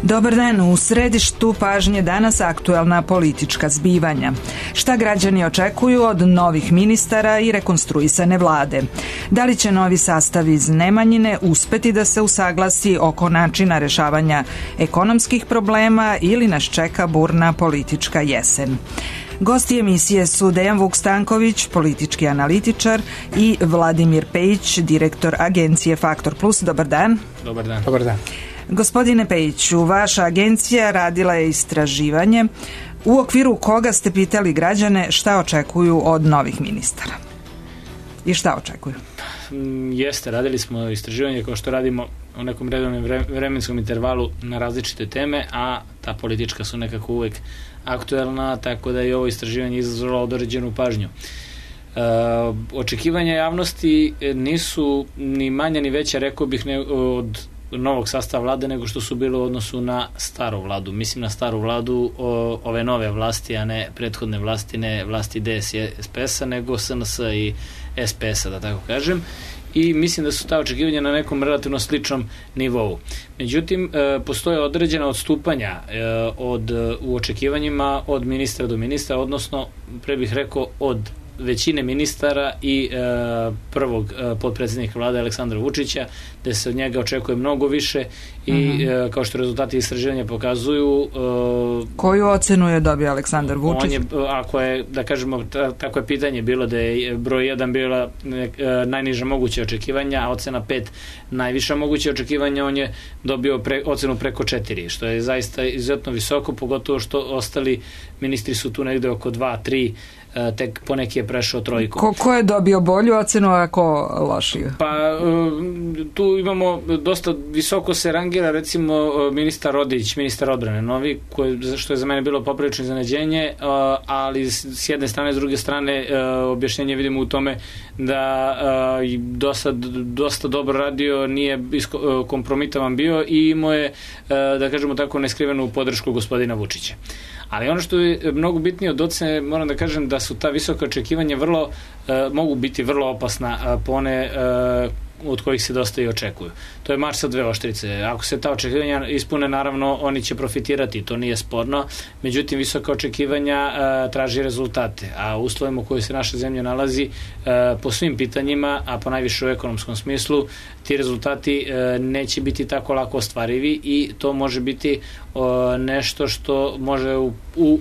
Dobar dan, u središtu pažnje danas aktuelna politička zbivanja. Šta građani očekuju od novih ministara i rekonstruisane vlade? Da li će novi sastav iz Nemanjine uspeti da se usaglasi oko načina rešavanja ekonomskih problema ili nas čeka burna politička jesen? Gosti emisije su Dejan Vuk-Stanković, politički analitičar, i Vladimir Pejić, direktor agencije Faktor Plus. Dobar dan. Dobar dan. Dobar dan. Gospodine Pejiću, vaša agencija radila je istraživanje u okviru koga ste pitali građane šta očekuju od novih ministara. I šta očekuju? Jeste, radili smo istraživanje kao što radimo u nekom redovnom vremenskom intervalu na različite teme, a ta politička su nekako uvek aktuelna, tako da je ovo istraživanje izazvalo određenu pažnju. Očekivanja javnosti nisu ni manja ni veća, rekao bih, od novog sastava vlade nego što su bilo u odnosu na staru vladu. Mislim na staru vladu ove nove vlasti, a ne prethodne vlasti, ne vlasti DS i SPS-a, nego SNS i SPS-a, da tako kažem. I mislim da su ta očekivanja na nekom relativno sličnom nivou. Međutim, postoje određena odstupanja u očekivanjima od ministra do ministra, odnosno, pre bih rekao, od većine ministara i prvog potpredsjednika vlade Aleksandra Vučića, gde se od njega očekuje mnogo više i kao što rezultati istraživanja pokazuju... Koju ocenu je dobio Aleksandar Vučić? On je, ako je, da kažemo, tako je pitanje bilo da je broj 1 bila najniža moguća očekivanja, a ocena 5 najviša moguća očekivanja, on je dobio ocenu preko 4, što je zaista izuzetno visoko, pogotovo što ostali ministri su tu negde oko 2-3, tek poneki je prešao trojku. Ko je dobio bolju ocenu, a ko lošiju? Pa tu imamo dosta visoko se rangira, recimo ministar Rodić, ministar odbrane novi, što je za mene bilo poprilično iznenađenje, ali s jedne strane, s druge strane objašnjenje vidimo u tome da dosta dobro radio, nije kompromitovan bio i imao je, da kažemo tako, neskrivenu podršku gospodina Vučića. Ali ono što je mnogo bitnije od ocene, moram da kažem da su ta visoka očekivanja mogu biti vrlo opasna po one od kojih se dosta i očekuju. To je mač sa dve oštrice. Ako se ta očekivanja ispune, naravno, oni će profitirati, to nije sporno. Međutim, visoka očekivanja traži rezultate, a u uslovima u kojoj se naša zemlja nalazi po svim pitanjima, a po najviše u ekonomskom smislu, ti rezultati neće biti tako lako ostvarivi i to može biti nešto što može u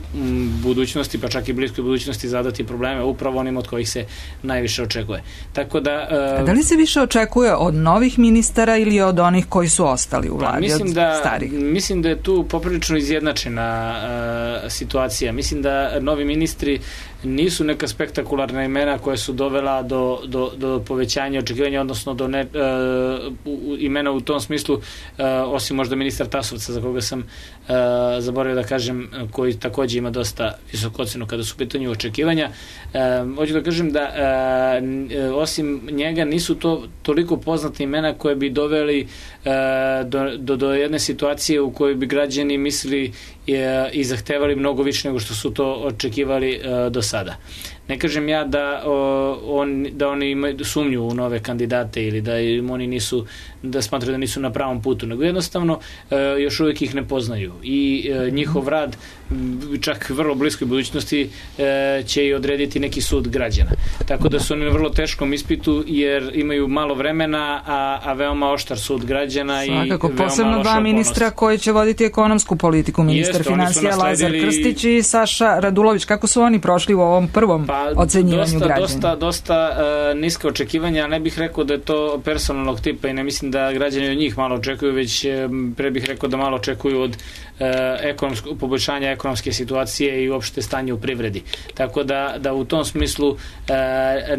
budućnosti, pa čak i bliskoj budućnosti, zadati probleme upravo onim od kojih se najviše očekuje. Tako da... Da li se više očekuje od novih ministara ili od onih koji su ostali u vladi, od starih? Mislim da je tu poprilično izjednačena situacija. Mislim da novi ministri nisu neka spektakularna imena koja su dovela do povećanja očekivanja, odnosno do imena u tom smislu, osim možda ministar Tasovca, za koga sam zaboravio da kažem, koji takođe ima dosta visoku ocenu kada su u pitanju očekivanja. Hoću da kažem da osim njega nisu to toliko poznate imena koje bi doveli do jedne situacije u kojoj bi građani mislili i zahtevali mnogo više nego što su to očekivali do sada. Ne kažem ja da oni imaju sumnju u nove kandidate ili da oni nisu, da smatraju da nisu na pravom putu, nego jednostavno još uvijek ih ne poznaju i njihov rad čak vrlo bliskoj budućnosti će i odrediti neki sud građana. Tako da su oni na vrlo teškom ispitu jer imaju malo vremena, a veoma oštar sud građana. Svakako, i posebno dva ministra koji će voditi ekonomsku politiku, ministar finansija Lazar Krstić i Saša Radulović. Kako su oni prošli u ovom prvom ocenjivanju građana? Dosta niska očekivanja, ne bih rekao da je to personalnog tipa i ne mislim da građani od njih malo očekuju, već pre bih rekao da malo očekuju od poboljšanja ekonomske situacije i uopšte stanje u privredi. Tako da u tom smislu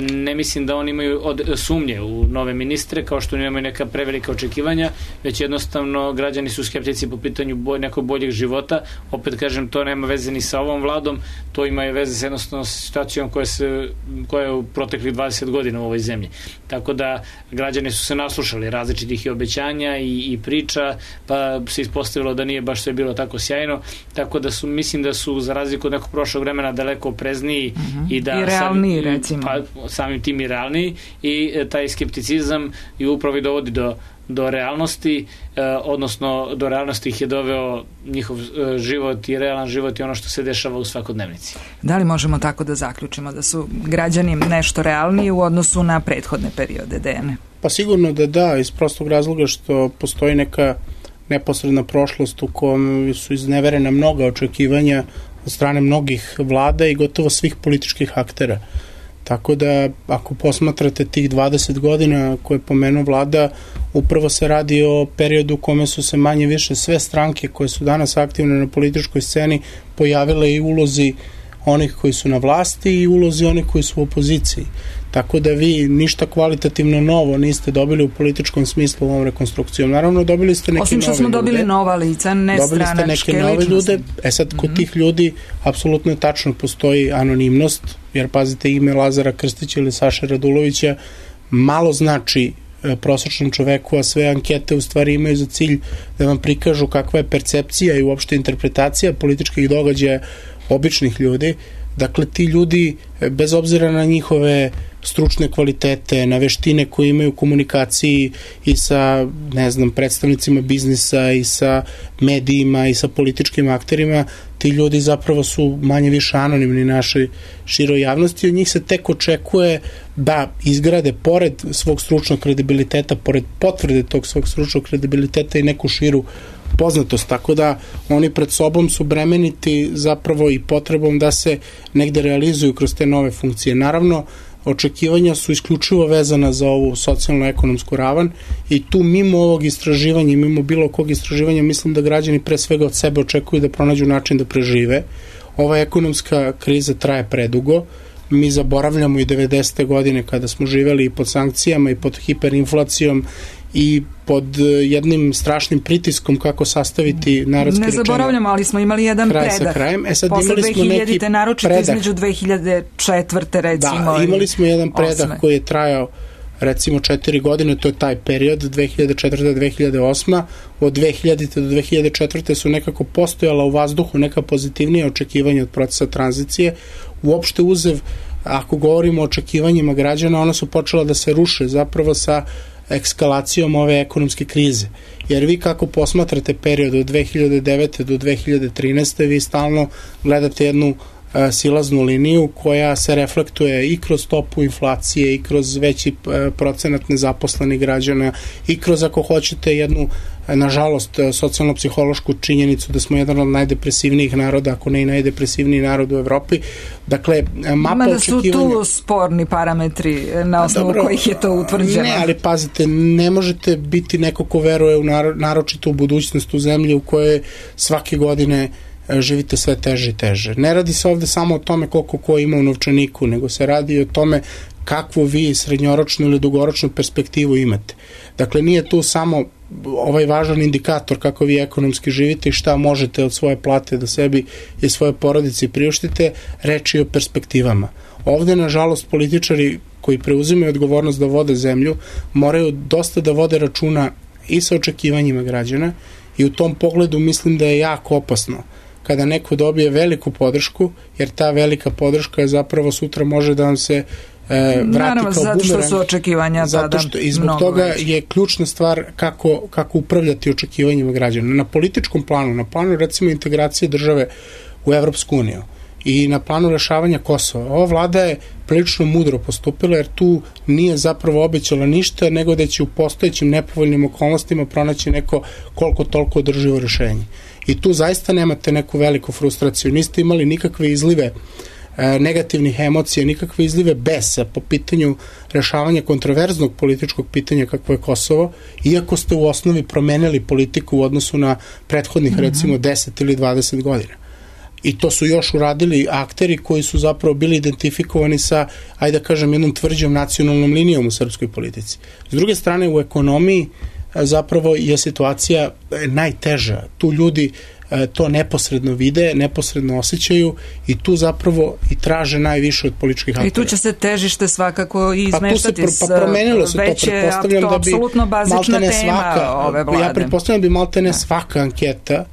ne mislim da oni imaju sumnje u nove ministre, kao što nemaju neka prevelika očekivanja, već jednostavno građani su skeptici po pitanju nekog boljeg života. Opet kažem, to nema veze ni sa ovom vladom, to ima veze sa jednostavno situacijom koja je u proteklih 20 godina u ovoj zemlji. Tako da građani su se naslušali različitih i obećanja i priča, pa se ispostavilo da nije baš sve bilo tako sjajno, tako da mislim da su za razliku od nekog prošlog vremena daleko oprezniji i realniji, recimo. Pa samim tim i realniji i taj skepticizam i upravo dovodi do realnosti, odnosno do realnosti ih je doveo njihov život i realan život i ono što se dešava u svakodnevnici. Da li možemo tako da zaključimo da su građani nešto realniji u odnosu na prethodne periode, Dejane? Pa sigurno da, iz prostog razloga što postoji neka neposredna prošlost u kojoj su izneverena mnoga očekivanja od strane mnogih vlada i gotovo svih političkih aktera. Tako da, ako posmatrate tih 20 godina koje je pomenuo vlada, upravo se radi o periodu u kome su se manje više sve stranke koje su danas aktivne na političkoj sceni pojavile i ulozi onih koji su na vlasti i ulozi onih koji su u opoziciji. Tako da vi ništa kvalitativno novo niste dobili u političkom smislu ovom rekonstrukcijom. Naravno, dobili ste neke nove ljude. Osim što smo dobili nova lica, ne stranačke ličnosti. Dobili ste neke nove ljude. Sad, kod tih ljudi apsolutno je tačno postoji anonimnost, jer pazite, ime Lazara Krstića ili Saše Radulovića malo znači prosječnom čoveku, a sve ankete u stvari imaju za cilj da vam prikažu kakva je percepcija i uopšte interpretacija političkih događaja običnih ljudi. Dakle, ti ljudi, bez obzira na njihove stručne kvalitete, na veštine koje imaju u komunikaciji i sa, predstavnicima biznisa i sa medijima i sa političkim akterima, ti ljudi zapravo su manje više anonimni našoj široj javnosti i od njih se tek očekuje da izgrade pored svog stručnog kredibiliteta, pored potvrde tog svog stručnog kredibiliteta i neku širu poznatost, tako da oni pred sobom su bremeniti zapravo i potrebom da se negde realizuju kroz te nove funkcije. Naravno, očekivanja su isključivo vezana za ovu socijalno-ekonomsku ravan i tu mimo ovog istraživanja i mimo bilo kog istraživanja mislim da građani pre svega od sebe očekuju da pronađu način da prežive. Ova ekonomska kriza traje predugo. Mi zaboravljamo i 90. godine kada smo živeli i pod sankcijama i pod hiperinflacijom i pod jednim strašnim pritiskom kako sastaviti narodski rečeno. Ne zaboravljamo, ali smo imali jedan predah. Sad posle imali smo 2000-te, naročito predah. Između 2004. recimo. Da, imali smo jedan predah koji je trajao recimo 4 godine, to je taj period 2004-2008. Od 2000. do 2004. su nekako postojala u vazduhu neka pozitivnija očekivanja od procesa tranzicije. Uopšte uzev, ako govorimo o očekivanjima građana, ona su počela da se ruše zapravo sa ekskalacijom ove ekonomske krize. Jer vi kako posmatrate period od 2009. do 2013. vi stalno gledate jednu silaznu liniju koja se reflektuje i kroz stopu inflacije i kroz veći procenat nezaposlenih građana i kroz, ako hoćete, jednu, nažalost, socijalno-psihološku činjenicu da smo jedan od najdepresivnijih naroda, ako ne i najdepresivniji narod u Evropi. Dakle, mapa očekivanja... Ima da su tu sporni parametri na osnovu kojih je to utvrđeno. Ne, ali pazite, ne možete biti neko ko veruje naročito u budućnost u zemlji u kojoj svake godine živite sve teže i teže. Ne radi se ovde samo o tome koliko ko ima u novčaniku, nego se radi o tome kakvu vi srednjoročnu ili dugoročnu perspektivu imate. Dakle, nije tu samo ovaj važan indikator kako vi ekonomski živite i šta možete od svoje plate da sebi i svoje porodice priuštite, reč je o perspektivama. Ovde, nažalost, političari koji preuzimaju odgovornost da vode zemlju moraju dosta da vode računa i sa očekivanjima građana i u tom pogledu mislim da je jako opasno kada neko dobije veliku podršku, jer ta velika podrška zapravo sutra može da vam se vrati naravno, kao bumerang. Zato što su očekivanja tada i zbog toga je ključna stvar kako upravljati očekivanjima građana. Na političkom planu, na planu recimo integracije države u Evropsku uniju i na planu rešavanja Kosova. Ova vlada je prilično mudro postupila jer tu nije zapravo obećala ništa, nego da će u postojećim nepovoljnim okolnostima pronaći neko koliko toliko održivo rešenje. I tu zaista nemate neku veliku frustraciju. Niste imali nikakve izlive negativnih emocija, nikakve izlive besa po pitanju rešavanja kontroverznog političkog pitanja kakvo je Kosovo, iako ste u osnovi promenili politiku u odnosu na prethodnih recimo 10 ili 20 godina. I to su još uradili akteri koji su zapravo bili identifikovani sa, ajde da kažem, jednom tvrđom nacionalnom linijom u srpskoj politici. S druge strane, u ekonomiji zapravo je situacija najteža. Tu ljudi to neposredno vide, neposredno osjećaju i tu zapravo i traže najviše od političkih aktera. I tu će se težište svakako i izmeštati. Promenilo se već to, pretpostavljam da bi apsolutno bazična tema ove vlade. Ja pretpostavljam da bi maltene svaka anketa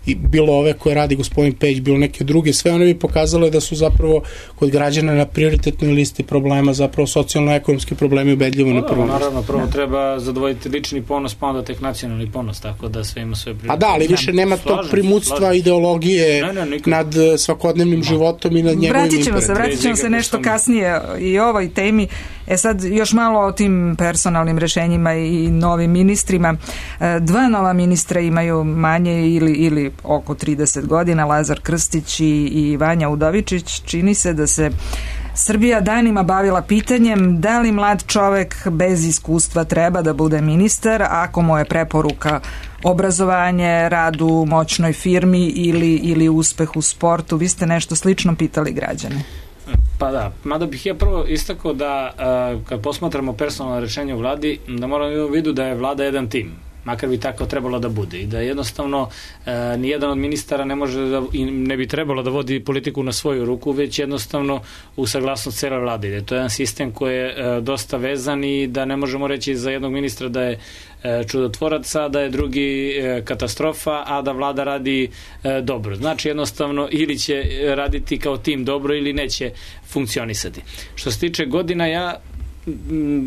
i bilo ove koje radi gospodin Pejić, bilo neke druge, sve one bi pokazale da su zapravo kod građana na prioritetnoj listi problema zapravo socijalno-ekonomski problemi ubedljivo na prvom. Naravno, prvo treba zadovoljiti lični ponos, pa onda tek nacionalni ponos, tako da sve ima svoje prioritete. A da, ali više nema tog primutstva ideologije nad svakodnevnim životom i nad njegovim imperativima. Vratit ćemo se nešto kasnije i ovoj temi. Sad još malo o tim personalnim rešenjima i novim ministrima. Dva nova ministra imaju manje ili oko 30 godina, Lazar Krstić i Vanja Udovičić. Čini se da se Srbija danima bavila pitanjem da li mlad čovek bez iskustva treba da bude ministar ako mu je preporuka obrazovanje, rad u moćnoj firmi ili uspeh u sportu. Vi ste nešto slično pitali građane. Pa da, mada bih ja prvo istakao da kad posmatramo personalno rešenje u vladi, da moramo imati u vidu da je vlada jedan tim, makar bi tako trebalo da bude i da jednostavno nijedan od ministara ne može da, i ne bi trebalo da vodi politiku na svoju ruku, već jednostavno u saglasnost cele vlade. Da to je jedan sistem koji je dosta vezan i da ne možemo reći za jednog ministra da je čudotvorac, a da je drugi katastrofa, a da vlada radi dobro. Znači jednostavno ili će raditi kao tim dobro ili neće funkcionisati. Što se tiče godina, ja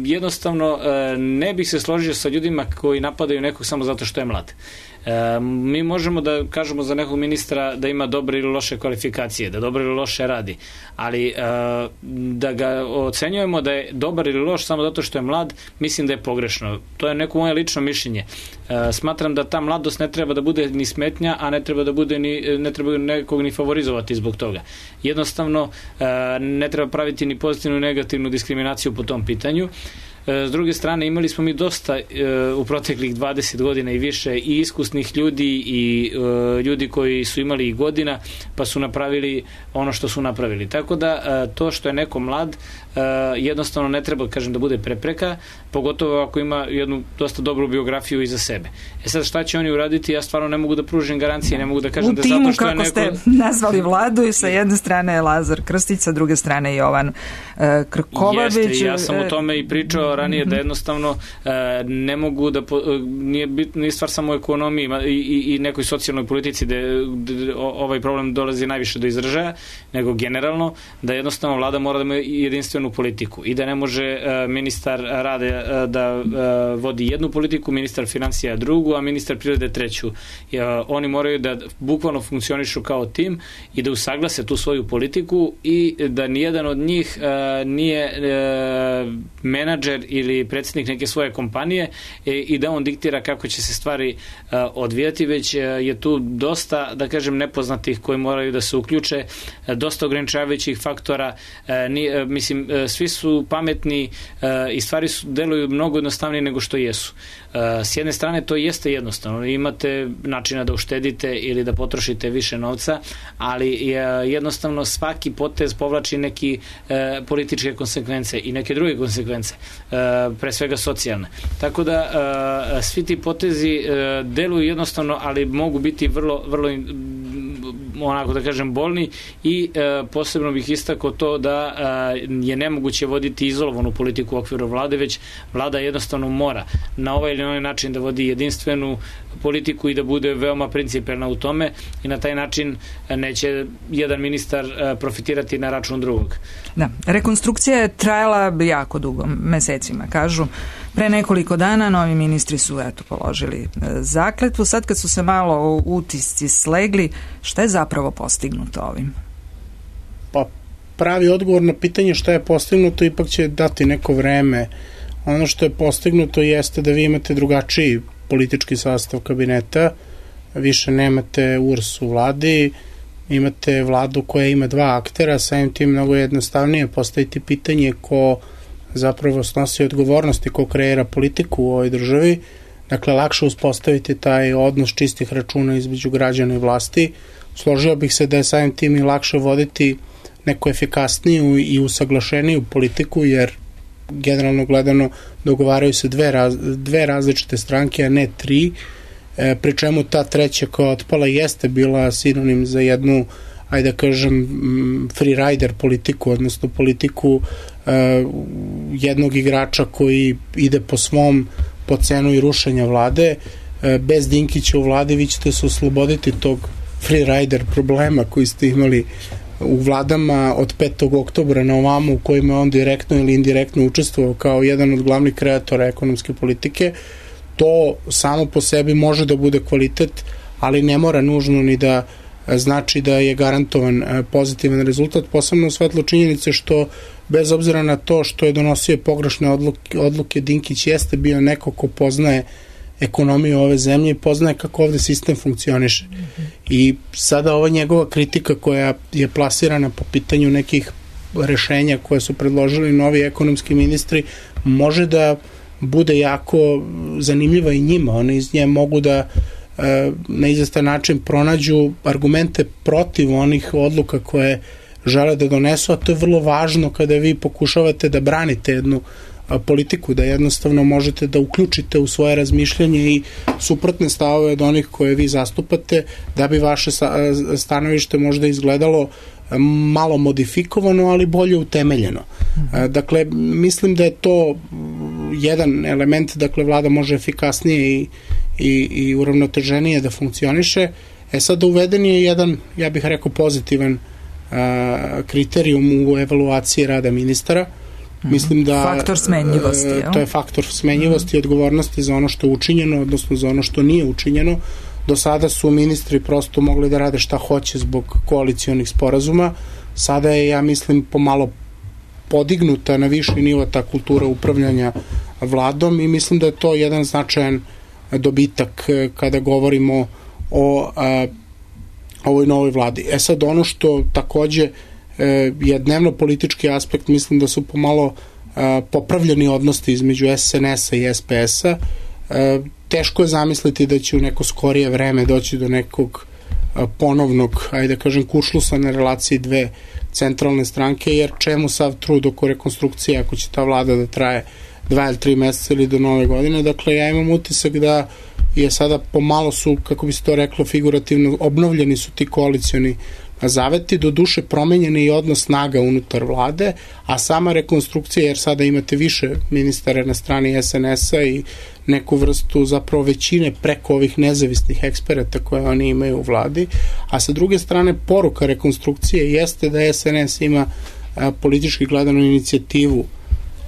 jednostavno ne bih se složio sa ljudima koji napadaju nekog samo zato što je mlad. Mi možemo da kažemo za nekog ministra da ima dobre ili loše kvalifikacije, da dobro ili loše radi, ali da ga ocenjujemo da je dobar ili loš samo zato što je mlad, mislim da je pogrešno. To je neko moje lično mišljenje. Smatram da ta mladost ne treba da bude ni smetnja, a ne treba da bude ne treba nekog ni favorizovati zbog toga. Jednostavno ne treba praviti ni pozitivnu ni negativnu diskriminaciju po tom pitanju. S druge strane, imali smo mi dosta u proteklih 20 godina i više i iskusnih ljudi i ljudi koji su imali i godina pa su napravili ono što su napravili. Tako da to što je neko mlad jednostavno ne treba, kažem, da bude prepreka, pogotovo ako ima jednu dosta dobru biografiju iza sebe. Sad šta će oni uraditi, ja stvarno ne mogu da pružim garancije, ne mogu da kažem da zato što je neko... U timu, kako ste nazvali vladu, i sa jedne strane je Lazar Krstić, sa druge strane je Jovan Krkobabić. Jeste, ja sam o tome i pričao ranije, da jednostavno ne mogu da... Nije stvar samo u ekonomiji i nekoj socijalnoj politici da ovaj problem dolazi najviše do izražaja, nego generalno da jednostavno vlada mora da ima jedinstvenu politiku i da ne može ministar rade da vodi jednu politiku, ministar financija drugu, a ministar privrede treću. Oni moraju da bukvalno funkcionišu kao tim i da usaglase tu svoju politiku i da nijedan od njih nije menadžer ili predsjednik neke svoje kompanije i da on diktira kako će se stvari odvijati, već je tu dosta, da kažem, nepoznatih koji moraju da se uključe, dosta ograničavajućih faktora. Mislim, svi su pametni i stvari deluju mnogo jednostavnije nego što jesu. S jedne strane to jeste jednostavno, imate načina da uštedite ili da potrošite više novca, ali jednostavno svaki potez povlači neki političke konsekvence i neke druge konsekvence, pre svega socijalne. Tako da svi ti potezi deluju jednostavno, ali mogu biti vrlo, vrlo onako da kažem bolni i posebno bih istakao to da je nemoguće voditi izolovanu politiku u okviru vlade, već vlada jednostavno mora na ovaj ili onaj način da vodi jedinstvenu politiku i da bude veoma principijelna u tome i na taj način neće jedan ministar profitirati na račun drugog. Da, rekonstrukcija je trajala jako dugo, mesecima, kažu. Pre nekoliko dana novi ministri su položili zakletvu. Sad kad su se malo utisci slegli, šta je zapravo postignuto ovim? Pa pravi odgovor na pitanje šta je postignuto ipak će dati neko vreme. Ono što je postignuto jeste da vi imate drugačiji politički sastav kabineta, više nemate URS u vladi, imate vladu koja ima dva aktera, samim tim mnogo jednostavnije postaviti pitanje ko zapravo snosi odgovornosti, ko kreira politiku u ovoj državi. Dakle, lakše uspostaviti taj odnos čistih računa između građana i vlasti. Složio bih se da je samim tim i lakše voditi neku efikasniju i usaglašeniju politiku, jer generalno gledano dogovaraju se dve različite stranke, a ne tri, pri čemu ta treća koja otpala jeste bila sinonim za jednu, ajde da kažem, free rider politiku, odnosno politiku jednog igrača koji ide po cenu i rušenja vlade. bez Dinkića u vladi vi ćete se osloboditi tog freerider problema koji ste imali u vladama od 5. oktobra na ovamo, u kojima on direktno ili indirektno učestvovao kao jedan od glavnih kreatora ekonomske politike. To samo po sebi može da bude kvalitet, ali ne mora nužno ni da znači da je garantovan pozitivan rezultat, posebno u svetlu činjenice što bez obzira na to što je donosio pogrešne odluke, Dinkić jeste bio neko ko poznaje ekonomiju ove zemlje i poznaje kako ovde sistem funkcioniše. I sada ova njegova kritika koja je plasirana po pitanju nekih rešenja koje su predložili novi ekonomski ministri može da bude jako zanimljiva i njima. Oni iz nje mogu da na izvestan način pronađu argumente protiv onih odluka koje žele da donesu, a to je vrlo važno kada vi pokušavate da branite jednu politiku, da jednostavno možete da uključite u svoje razmišljanje i suprotne stavove od onih koje vi zastupate, da bi vaše stanovište možda izgledalo malo modifikovano, ali bolje utemeljeno. Dakle, mislim da je to jedan element, dakle, vlada može efikasnije i uravnoteženije da funkcioniše. Sad uveden je jedan, ja bih rekao, pozitivan kriterijum u evaluaciji rada ministara. Mislim da faktor smenjivosti, to je faktor smenjivosti i odgovornosti za ono što je učinjeno, odnosno za ono što nije učinjeno. Do sada su ministri prosto mogli da rade šta hoće zbog koalicionih sporazuma. Sada je, ja mislim, pomalo podignuta na viši nivo ta kultura upravljanja vladom i mislim da je to jedan značajan dobitak kada govorimo o ovoj novoj vladi. Sad ono što takođe je dnevno politički aspekt, mislim da su pomalo popravljeni odnosi između SNS-a i SPS-a. Teško je zamisliti da će u neko skorije vreme doći do nekog ponovnog, ajde da kažem, kuršlusa na relaciji dve centralne stranke, jer čemu sav trud oko rekonstrukcije ako će ta vlada da traje 2 ili 3 meseca ili do nove godine. Dakle, ja imam utisak da je sada pomalo su, kako bi se to reklo figurativno, obnovljeni su ti koalicioni zaveti, do duše promenjeni i odnos snaga unutar vlade, a sama rekonstrukcija, jer sada imate više ministara na strani SNS-a i neku vrstu zapravo većine preko ovih nezavisnih eksperata koje oni imaju u vladi, a sa druge strane poruka rekonstrukcije jeste da SNS ima politički gledano inicijativu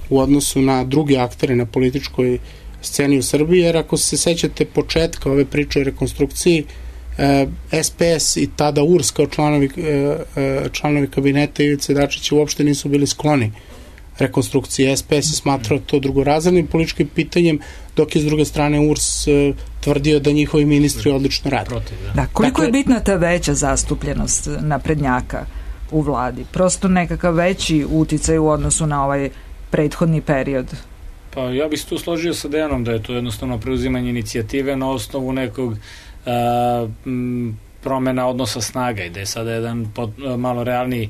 u odnosu na druge aktere na političkoj sceni u Srbiji, jer ako se sećate početka ove priče o rekonstrukciji, SPS i tada URS kao članovi kabineta Ivice Dačića uopšte nisu bili skloni rekonstrukcije. SPS je smatrao to drugorazrednim političkim pitanjem, dok je s druge strane URS tvrdio da njihovi ministri odlično rade. Da, koliko je bitna ta veća zastupljenost naprednjaka u vladi? Prosto nekakav veći uticaj u odnosu na ovaj prethodni period? Pa ja bih se tu složio sa Dejanom da je to jednostavno preuzimanje inicijative na osnovu nekog promena odnosa snaga i da je sada jedan malo realniji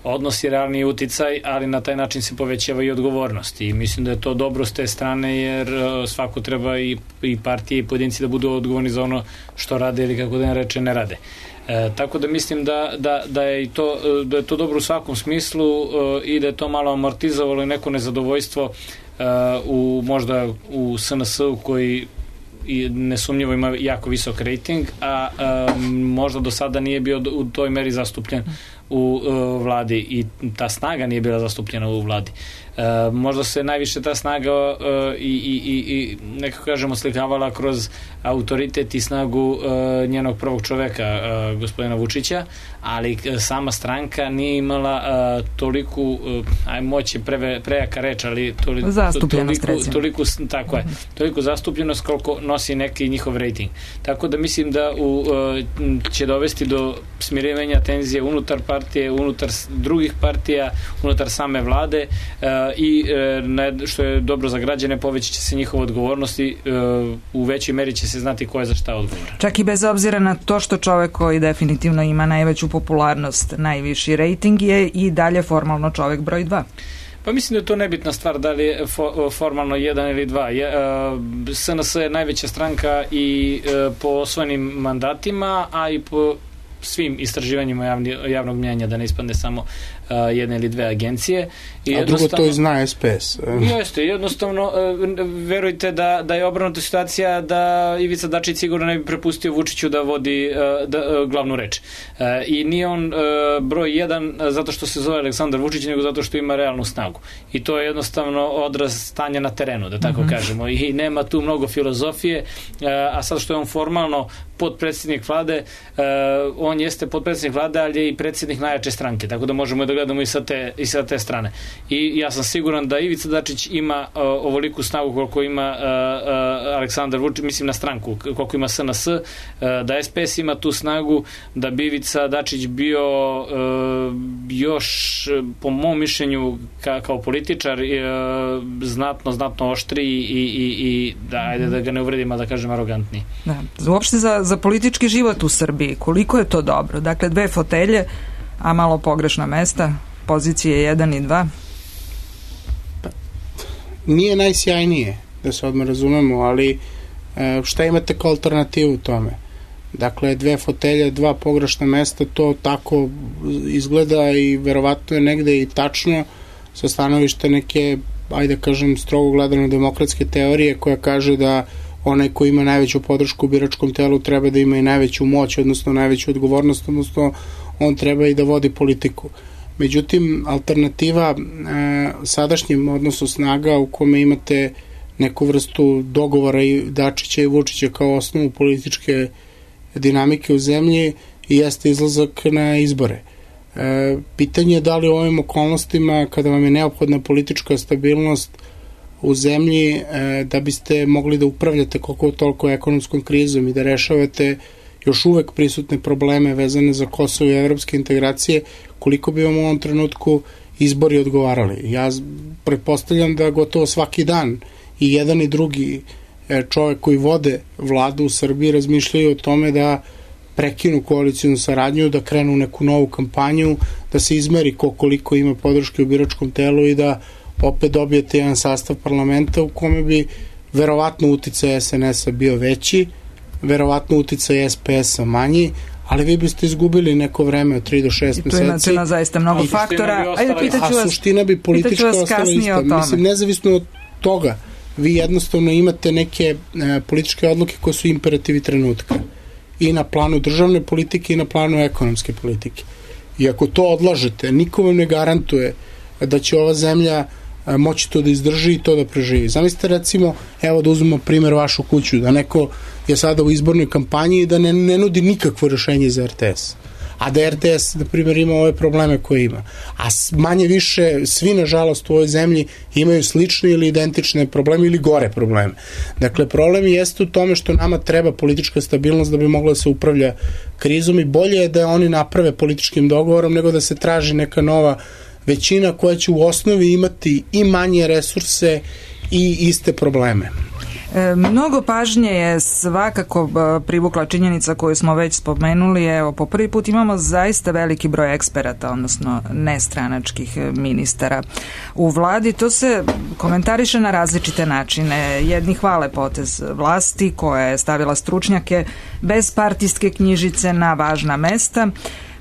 odnos i realniji uticaj, ali na taj način se povećava i odgovornost i mislim da je to dobro s te strane jer svako treba i partije i pojedinci da budu odgovorni za ono što rade ili kako da ne reče ne rade. Tako da mislim da je to dobro u svakom smislu i da je to malo amortizovalo i neko nezadovoljstvo možda u SNS-u koji i nesumnjivo ima jako visok rating, a možda do sada nije bio u toj meri zastupljen u vladi i ta snaga nije bila zastupljena u vladi. Možda se najviše ta snaga i nekako kažemo slikavala kroz autoritet i snagu njenog prvog čoveka, gospodina Vučića, ali sama stranka nije imala toliku, moć je prejaka reč, ali toliko zastupljenost koliko nosi neki njihov rating. Tako da mislim da će dovesti do smirivanja tenzije unutar partije, unutar drugih partija, unutar same vlade i što je dobro za građane, povećat će se njihova odgovornost i u većoj meri će se znati ko je za šta odgovoran. Čak i bez obzira na to što čovek koji definitivno ima najveću popularnost, najviši rating je i dalje formalno čovek broj 2. Pa mislim da je to nebitna stvar da li je formalno 1 ili 2. SNS je najveća stranka i po osvojenim mandatima, a i po svim istraživanjima javnog mnjenja, da ne ispadne samo jedne ili dve agencije. A drugo to i zna SPS. Jeste, jednostavno verujte da je obrnuta situacija da Ivica Dačić sigurno ne bi prepustio Vučiću da vodi glavnu reč. I nije on broj 1 zato što se zove Aleksandar Vučić, nego zato što ima realnu snagu. I to je jednostavno odraz stanja na terenu, da tako kažemo. I nema tu mnogo filozofije, a sad što je on formalno potpredsjednik vlade, on jeste potpredsjednik vlade, ali je i predsjednik najjače stranke, tako da možemo da gledamo i sa te strane. I ja sam siguran da Ivica Dačić ima ovoliku snagu koliko ima Aleksandar Vučić, mislim na stranku, koliko ima SNS, da SPS ima tu snagu, da bi Ivica Dačić bio još, po mom mišljenju, kao političar, znatno oštriji i da ga ne uvredim, a da kažem arogantniji. Da. Uopšte za politički život u Srbiji, koliko je to dobro? Dakle, 2 fotelje, a malo pogrešna mesta, pozicije 1 i 2. Nije najsjajnije, da se odmah razumemo, ali šta imate kao alternativu tome? Dakle, 2 fotelje, 2 pogrešna mesta, to tako izgleda i verovatno je negde i tačno sa stanovišta neke, ajde kažem, strogo gledano demokratske teorije koja kaže da onaj ko ima najveću podršku u biračkom telu treba da ima i najveću moć, odnosno najveću odgovornost, odnosno on treba i da vodi politiku. Međutim, alternativa sadašnjem odnosu snaga u kome imate neku vrstu dogovora i Dačića i Vučića kao osnovu političke dinamike u zemlji jeste izlazak na izbore. Pitanje je da li u ovim okolnostima, kada vam je neophodna politička stabilnost u zemlji, da biste mogli da upravljate koliko toliko ekonomskom krizom i da rešavate još uvek prisutne probleme vezane za Kosovo i evropske integracije, koliko bi vam u ovom trenutku izbori odgovarali. Ja pretpostavljam da gotovo svaki dan i jedan i drugi čovek koji vode vladu u Srbiji razmišljaju o tome da prekinu koalicijnu saradnju, da krenu neku novu kampanju, da se izmeri koliko ima podrške u biračkom telu i da opet dobijete jedan sastav parlamenta u kome bi verovatno uticaj SNS-a bio veći, verovatno uticaj SPS-a manji, ali vi biste izgubili neko vreme od 3 do 6 meseci. I tu ima zaista mnogo faktora. A suština bi politička ostala ista. Mislim, nezavisno od toga, vi jednostavno imate neke političke odluke koje su imperativi trenutka. I na planu državne politike i na planu ekonomske politike. I ako to odlažete, niko vam ne garantuje da će ova zemlja moći to da izdrži i to da preživi. Zamislite recimo, evo da uzmemo primer vašu kuću, da neko je sada u izbornoj kampanji i da ne nudi nikakvo rešenje za RTS. A da RTS, na primjer, ima ove probleme koje ima. A manje više, svi nažalost u ovoj zemlji imaju slične ili identične probleme ili gore probleme. Dakle, problem jeste u tome što nama treba politička stabilnost da bi mogla da se upravlja krizom i bolje je da oni naprave političkim dogovorom nego da se traži neka nova većina koja će u osnovi imati i manje resurse i iste probleme. Mnogo pažnje je svakako privukla činjenica koju smo već spomenuli. Evo, po prvi put imamo zaista veliki broj eksperata, odnosno nestranačkih ministara u vladi. To se komentariše na različite načine. Jedni hvale potez vlasti koja je stavila stručnjake bez partijske knjižice na važna mesta.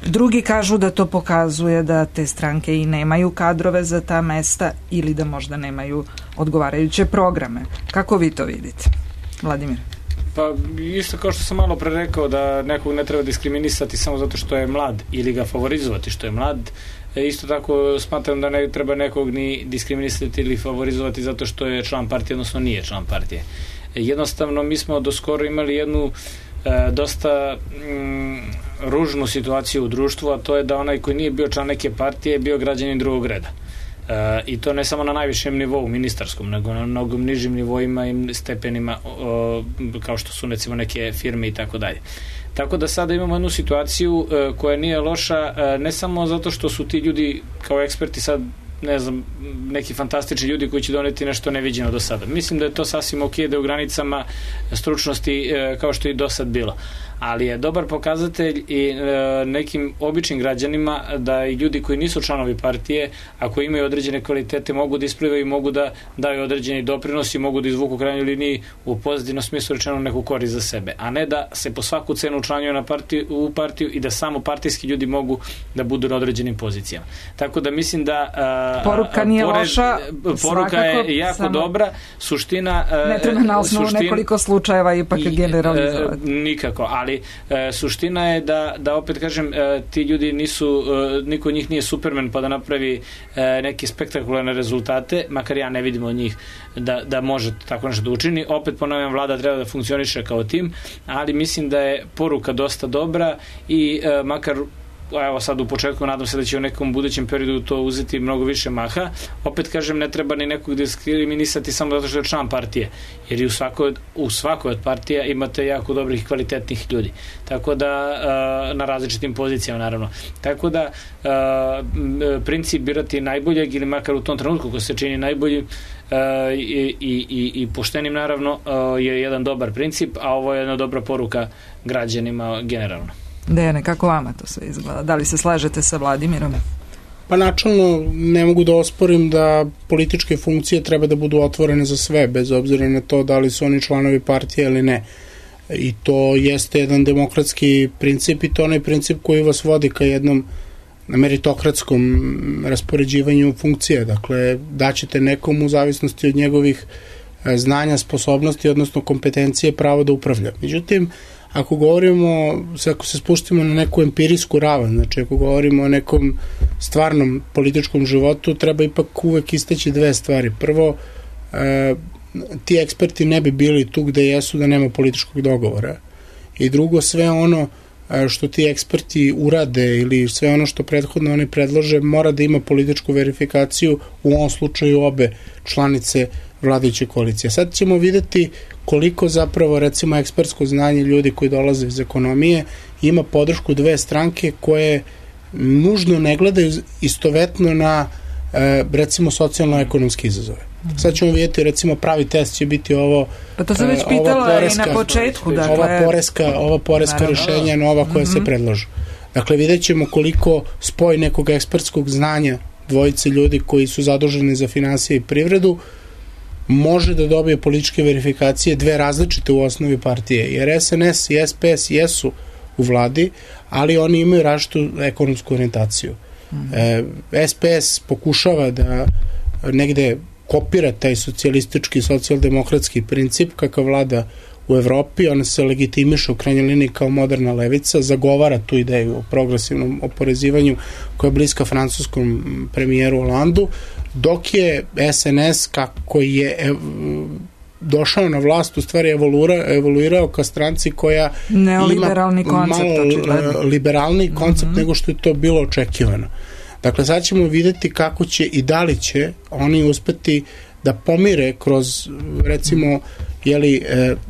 Drugi kažu da to pokazuje da te stranke i nemaju kadrove za ta mesta ili da možda nemaju odgovarajuće programe. Kako vi to vidite, Vladimir? Pa isto kao što sam malo pre rekao da nekog ne treba diskriminisati samo zato što je mlad ili ga favorizovati što je mlad. Isto tako smatram da ne treba nekog ni diskriminisati ili favorizovati zato što je član partije, odnosno nije član partije. Jednostavno mi smo do skoro imali jednu dosta ružnu situaciju u društvu, a to je da onaj koji nije bio član neke partije je bio građanin drugog reda. I to ne samo na najvišem nivou ministarskom, nego na mnogom nižim nivoima i stepenima kao što su recimo neke firme i tako dalje. Tako da sada imamo jednu situaciju koja nije loša, ne samo zato što su ti ljudi kao eksperti sad ne znam, neki fantastični ljudi koji će doneti nešto neviđeno do sada. Mislim da je to sasvim ok, da je u granicama stručnosti kao što je i do sad bilo. ali je dobar pokazatelj i nekim običnim građanima da i ljudi koji nisu članovi partije, ako imaju određene kvalitete, mogu da isplivaju, mogu da daju određeni doprinos i mogu da izvuku u krajnjoj liniji u pozitivnom smislu rečeno neku korist za sebe, a ne da se po svaku cenu učlanjuju u partiju i da samo partijski ljudi mogu da budu na određenim pozicijama. Tako da mislim da poruka nije loša, poruka je jako dobra, suština ne treba na osnovu nekoliko slučajeva ipak generalizovati. Nikako, ali suština je da opet kažem, ti ljudi nisu, niko od njih nije Superman pa da napravi neke spektakularne rezultate, makar ja ne vidim od njih da može tako nešto da učini. Opet ponavljam, vlada treba da funkcioniše kao tim, ali mislim da je poruka dosta dobra i makar evo sad u početku nadam se da će u nekom budućem periodu to uzeti mnogo više maha. Opet kažem, ne treba ni nekog diskriminisati samo zato što je član partije, jer i u svakoj od partija imate jako dobrih i kvalitetnih ljudi. Tako da na različitim pozicijama naravno. Tako da princip birati najboljeg ili makar u tom trenutku ko se čini najbolji i poštenim naravno je jedan dobar princip, a ovo je jedna dobra poruka građanima generalno. Dejane, kako vama to sve izgleda? Da li se slažete sa Vladimirom? Pa načelno ne mogu da osporim da političke funkcije treba da budu otvorene za sve, bez obzira na to da li su oni članovi partije ili ne. I to jeste jedan demokratski princip i to onaj princip koji vas vodi ka jednom meritokratskom raspoređivanju funkcije. Dakle, daćete nekom u zavisnosti od njegovih znanja, sposobnosti, odnosno kompetencije pravo da upravlja. Međutim, ako se spustimo na neku empirijsku ravan, znači ako govorimo o nekom stvarnom političkom životu, treba ipak uvek istaći dve stvari. Prvo, ti eksperti ne bi bili tu gde jesu da nema političkog dogovora. I drugo, sve ono što ti eksperti urade ili sve ono što prethodno oni predlože mora da ima političku verifikaciju, u ovom slučaju obe članice vladajuće koalicije. Sad ćemo videti koliko zapravo recimo ekspertsko znanje ljudi koji dolaze iz ekonomije ima podršku dve stranke koje nužno ne gledaju istovetno na recimo socijalno-ekonomske izazove. Sad ćemo vidjeti, recimo pravi test će biti ovo pa to sam već pitala i na početku, dakle ova poreska rešenja nova koja se predlažu. Dakle, vidjet ćemo koliko spoj nekog ekspertskog znanja dvojice ljudi koji su zaduženi za finansije i privredu može da dobije političke verifikacije dve različite u osnovi partije, jer SNS i SPS jesu u vladi, ali oni imaju različitu ekonomsku orijentaciju. SPS pokušava da negde kopira taj socijalistički, socijaldemokratski princip kakav vlada u Evropi, ona se legitimiše u krajnjoj liniji kao moderna levica, zagovara tu ideju o progresivnom oporezivanju koja je bliska francuskom premijeru Hollandu, dok je SNS kako je došao na vlast, u stvari evoluirao ka stranci koja neoliberalni ima malo liberalni koncept nego što je to bilo očekivano. Dakle, sad ćemo videti kako će i da li će oni uspeti da pomire kroz, recimo,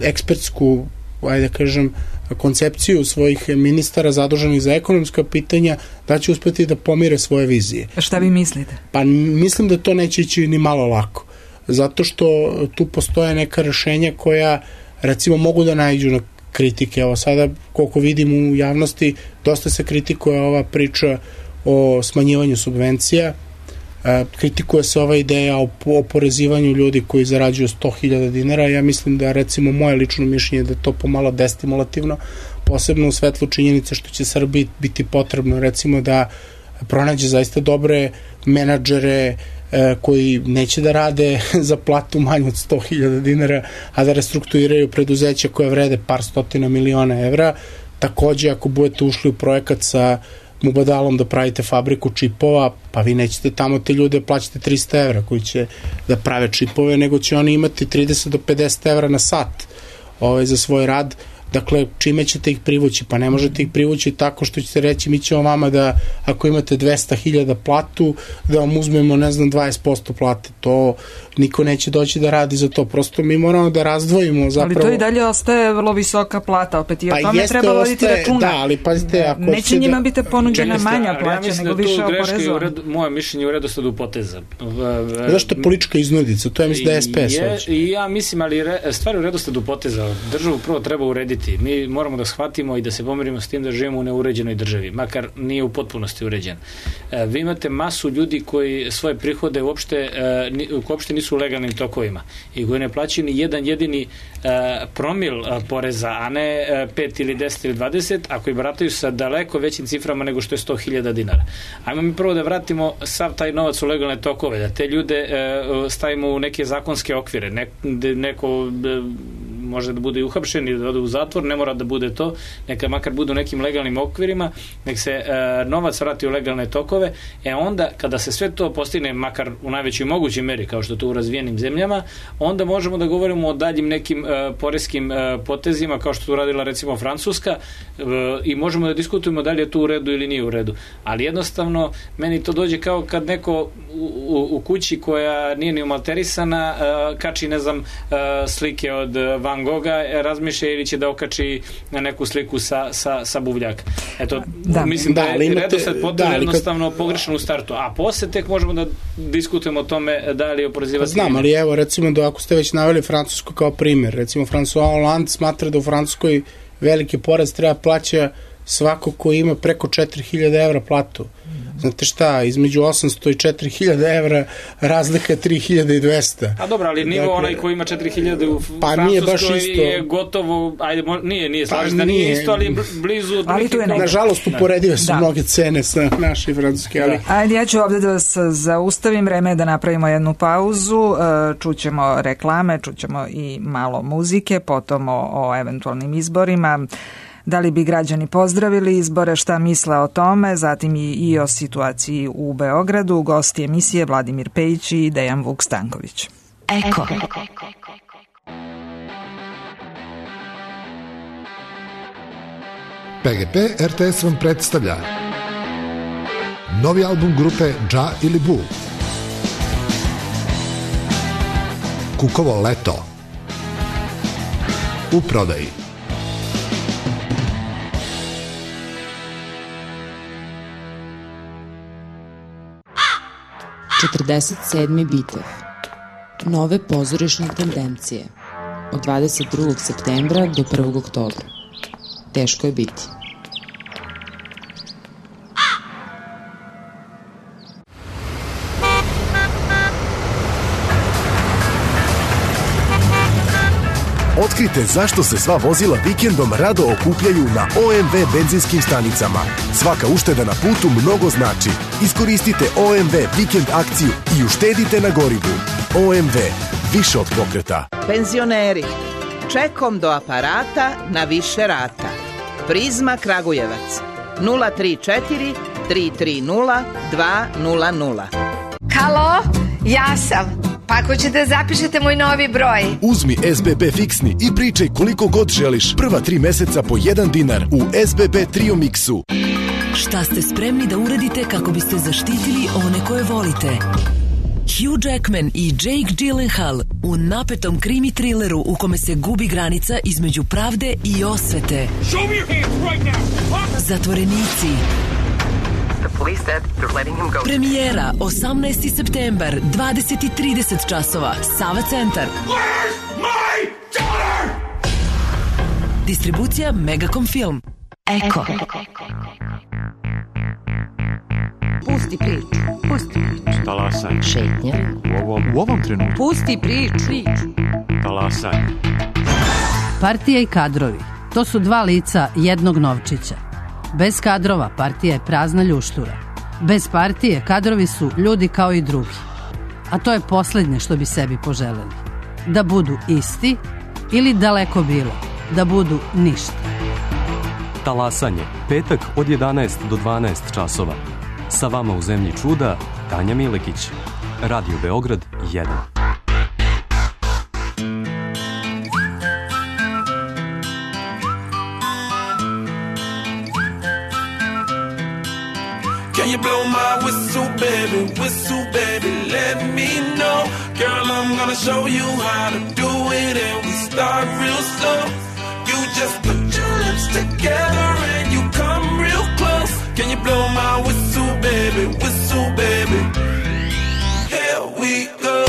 ekspertsku, ajde da kažem, koncepciju svojih ministara zaduženih za ekonomska pitanja, da će uspeti da pomire svoje vizije. A šta vi mislite? Pa mislim da to neće ići ni malo lako. Zato što tu postoje neka rešenja koja, recimo, mogu da naiđu na kritike. Evo sada, koliko vidim u javnosti, dosta se kritikuje ova priča o smanjivanju subvencija, kritikuje se ova ideja o oporezivanju ljudi koji zarađuju 100.000 dinara. Ja mislim da, recimo, moje lično mišljenje da je to pomalo destimulativno, posebno u svetlu činjenice što će Srbiji biti potrebno, recimo, da pronađe zaista dobre menadžere koji neće da rade za platu manju od 100.000 dinara, a da restrukturiraju preduzeća koje vrede par stotina miliona evra. Takođe, ako budete ušli u projekat sa Mubadalom da pravite fabriku čipova, pa vi nećete tamo te ljude plaćate 300 evra koji će da prave čipove, nego će oni imati 30 do 50 evra na sat za svoj rad. Dakle, čime ćete ih privući? Pa ne možete ih privući tako što ćete reći mi ćemo vama da, ako imate 200.000 platu, da vam uzmemo, 20% plate. To niko neće doći da radi za to. Prosto mi moramo da razdvojimo zapravo. Ali to i dalje ostaje vrlo visoka plata, opet i o tome treba voditi računa. Da, ali pazite, ako neće njima biti ponuđena manja plaća, nego više oporezovana. Moje mišljenje u redosledu poteza. Zašto je politička iznudica? To je, mislim, da je SPS. I ja mislim, ali stvari u redosledu poteza. Državu prvo treba urediti biti. Mi moramo da shvatimo i da se pomirimo s tim da živimo u neuređenoj državi, makar nije u potpunosti uređen. Vi imate masu ljudi koji svoje prihode uopšte nisu u legalnim tokovima i koji ne plaćaju ni jedan jedini promil poreza, a ne 5 ili 10 ili 20, a koji barataju sa daleko većim ciframa nego što je 100.000 dinara. Ajmo mi prvo da vratimo sav taj novac u legalne tokove, da te ljude stavimo u neke zakonske okvire. Neko može da bude i uhapšen ili da ode u zatvor, ne mora da bude to, neka makar bude u nekim legalnim okvirima, nek se novac vrati u legalne tokove, onda kada se sve to postigne, makar u najvećoj mogućoj meri, kao što to u razvijenim zemljama, onda možemo da govorimo o daljim nekim poreskim potezima, kao što to uradila recimo Francuska, i možemo da diskutujemo da li je to u redu ili nije u redu. Ali jednostavno, meni to dođe kao kad neko u kući koja nije ni umalterisana kači, ne znam, slike od Van Gogha, razmišlja ili će da okači na neku sliku sa buvljaka. Eto, mislim da je redosled potpuno jednostavno pogrešan u startu, a posle tek možemo da diskutujemo o tome da li je oporezivati. Znam, ali evo, recimo da ako ste već naveli Francusku kao primjer, recimo François Hollande smatra da u Francuskoj veliki porez treba plaća svako ko ima preko 4.000 evra platu. Znate šta, između 800 i 4.000 evra razlika je 3.200. A dobro, ali nivo onaj koji ima 4.000 u Francuskoj je gotovo, ajde, nije slažem da nije isto, ali blizu. Ali tu je nekako. Nažalost, uporedive su mnoge cene sa naše i francuske. Ali... Ajde, ja ću ovde da vas zaustavim, vreme je da napravimo jednu pauzu, čućemo reklame, čućemo i malo muzike, potom o eventualnim izborima. Da li bi građani pozdravili izbore, šta misle o tome, zatim i o situaciji u Beogradu. Gosti emisije Vladimir Pejić i Dejan Vuk Stanković. Eko. PGP RTS vam predstavlja novi album grupe Dža ili Bu. Kukovo leto. U prodaji. 47. bitev. Nove pozorišne tendencije. Od 22. septembra do 1. oktobra. Teško je biti. Otkrite zašto se sva vozila vikendom rado okupljaju na OMV benzinskim stanicama. Svaka ušteda na putu mnogo znači. Iskoristite OMV vikend akciju i uštedite na gorivu. OMV, više od pokreta. Penzioneri, čekom do aparata na više rata. Prizma Kragujevac, 034 330 200. Halo, ja sam. Pa ako ćete zapišete moj novi broj. Uzmi SBB fiksni i pričaj koliko god želiš. Prva 3 meseca po 1 dinar u SBB Trio Mixu. Šta ste spremni da uradite kako biste zaštitili one koje volite? Hugh Jackman i Jake Gyllenhaal u napetom krimi trileru u kome se gubi granica između pravde i osvete. Zatvorenici. Premijera 18. septembar, 20:30 časova. Sava centar. Distribucija Megacom Film. Eko. Pusti priču. Pusti priču. Talasaj. Šetnja. U ovom trenutku. Pusti priču. Talasaj. Partija i kadrovi. To su dva lica jednog novčića. Bez kadrova partija je prazna ljuštura. Bez partije kadrovi su ljudi kao i drugi. A to je poslednje što bi sebi poželeli. Da budu isti ili daleko bilo. Da budu ništa. Talasanje. Petak od 11 do 12 časova. Sa vama u Zemlji čuda, Tanja Milekić. Radio Beograd 1. Can you blow my whistle, baby, let me know. Girl, I'm gonna show you how to do it, and we start real slow. You just put your lips together and you come real close. Can you blow my whistle, baby, here we go.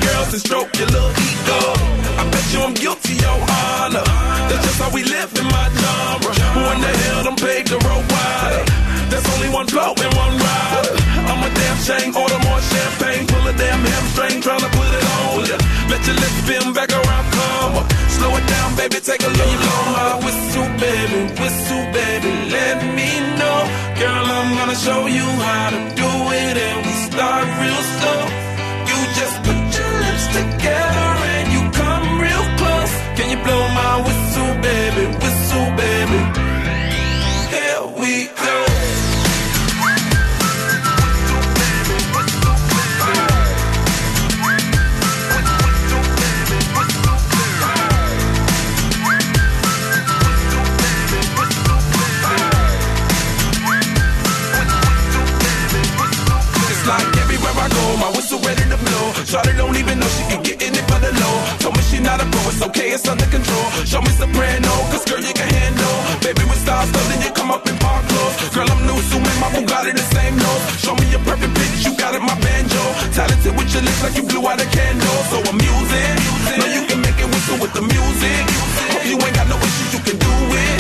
girls and stroke your little ego. I bet you I'm guilty, your honor. That's just how we live in my genre. Who in the hell done paved the road wider? There's only one blow and one rider. I'm a damn shame, order more champagne. Pull a damn hamstring, tryna put it on ya. Let your lips spin back around, come up. Slow it down, baby, take a look. You blow my whistle, baby, let me know. Girl, I'm gonna show you how to do it, and we start real slow. You just put your lips together and you come real close. Can you blow my whistle, baby, here we go. My whistle ready to blow. Shawty don't even know she can get in it for the low. Told me she not a pro, it's okay, it's under control. Show me soprano, cause girl you can handle. Baby with stars, so then you come up in park clothes. Girl I'm new, so man, my Bugatti the same nose. Show me your perfect pitch, you got it, my banjo. Talented with your lips like you blew out a candle. So I'm using, know you can make it whistle with the music. Hope you ain't got no issues, you can do it.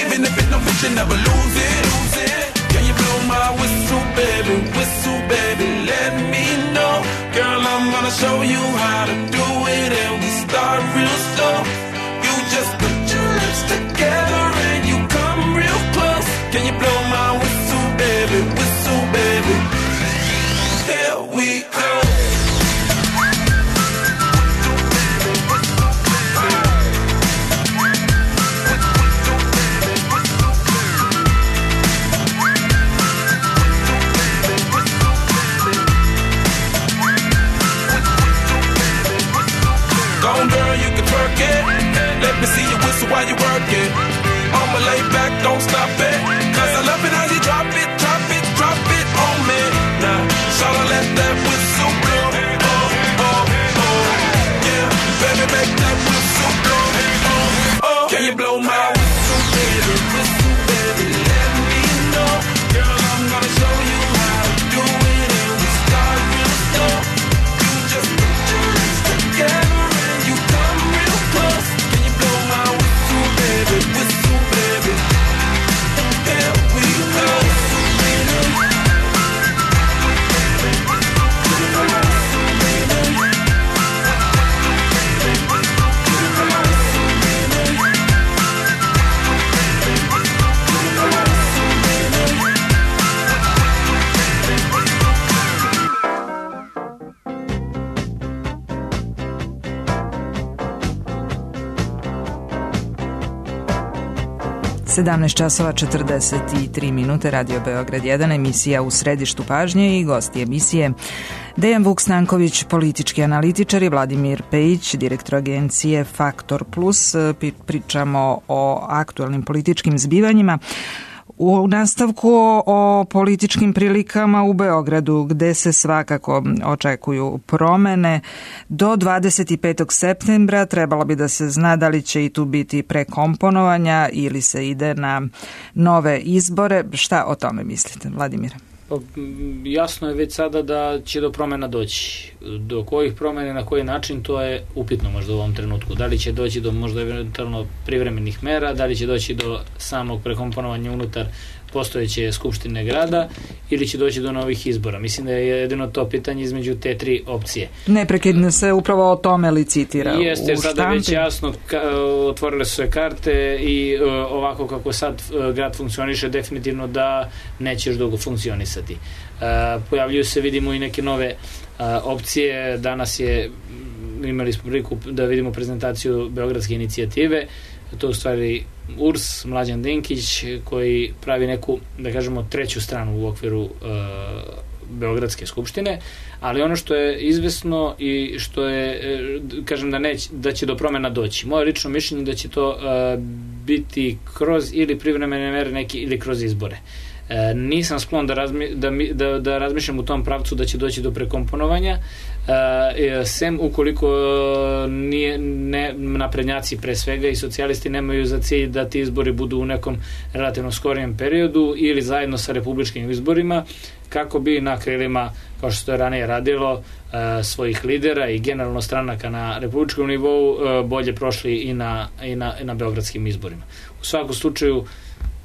Even if it don't fit, you never lose it. Can you blow my whistle, baby, let me know. Girl, I'm gonna show you how to do it, and we start real slow. You just put your lips together and you come real close. Can you blow my whistle, baby, here we go. Let me see you whistle while you work it. I'ma lay back, don't stop it. Cause I love it how you drop it on me. Now, shawty let that whistle blow. Oh, yeah, baby make that whistle blow. Oh, can you blow my whistle, baby, let me know. Girl, I'm gonna show you how to do it, and we start real slow. You just put your lips together and you come real close. Whistle, baby, here we go. Sedamnaest časova 43 minute, Radio Beograd 1, emisija U središtu pažnje i gosti emisije Dejan Vuk-Stanković, politički analitičar, i Vladimir Pejić, direktor agencije Faktor Plus. Pričamo o aktuelnim političkim zbivanjima. U nastavku o političkim prilikama u Beogradu, gde se svakako očekuju promene. Do 25. septembra trebalo bi da se zna da li će i tu biti prekomponovanja ili se ide na nove izbore. Šta o tome mislite, Vladimir? Jasno je već sada da će do promena doći. Do kojih promena, na koji način, to je upitno možda u ovom trenutku. Da li će doći do možda eventualno privremenih mera, da li će doći do samog prekomponovanja unutar postojeće skupštine grada ili će doći do novih izbora. Mislim da je jedino to pitanje između te tri opcije. Neprekidno se upravo o tome licitira. Jeste, jer sada već jasno otvorile su se karte i ovako kako sad grad funkcioniše, definitivno da neće još dugo funkcionisati. Pojavljuju se, vidimo, i neke nove opcije. Danas imali smo priliku da vidimo prezentaciju Beogradske inicijative. To je u stvari URS, Mlađan Dinkić, koji pravi neku, da kažemo, treću stranu u okviru Beogradske skupštine, ali ono što je izvesno i što je, kažem, da će do promena doći. Moje lično mišljenje da će to biti kroz ili privremene mere neki ili kroz izbore. Nisam sklon da razmišljam u tom pravcu da će doći do prekomponovanja, sem ukoliko naprednjaci pre svega i socijalisti nemaju za cilj da ti izbori budu u nekom relativno skorijem periodu ili zajedno sa republičkim izborima, kako bi na krilima, kao što je ranije radilo, svojih lidera i generalno stranaka na republičkom nivou bolje prošli i na beogradskim izborima. U svakom slučaju,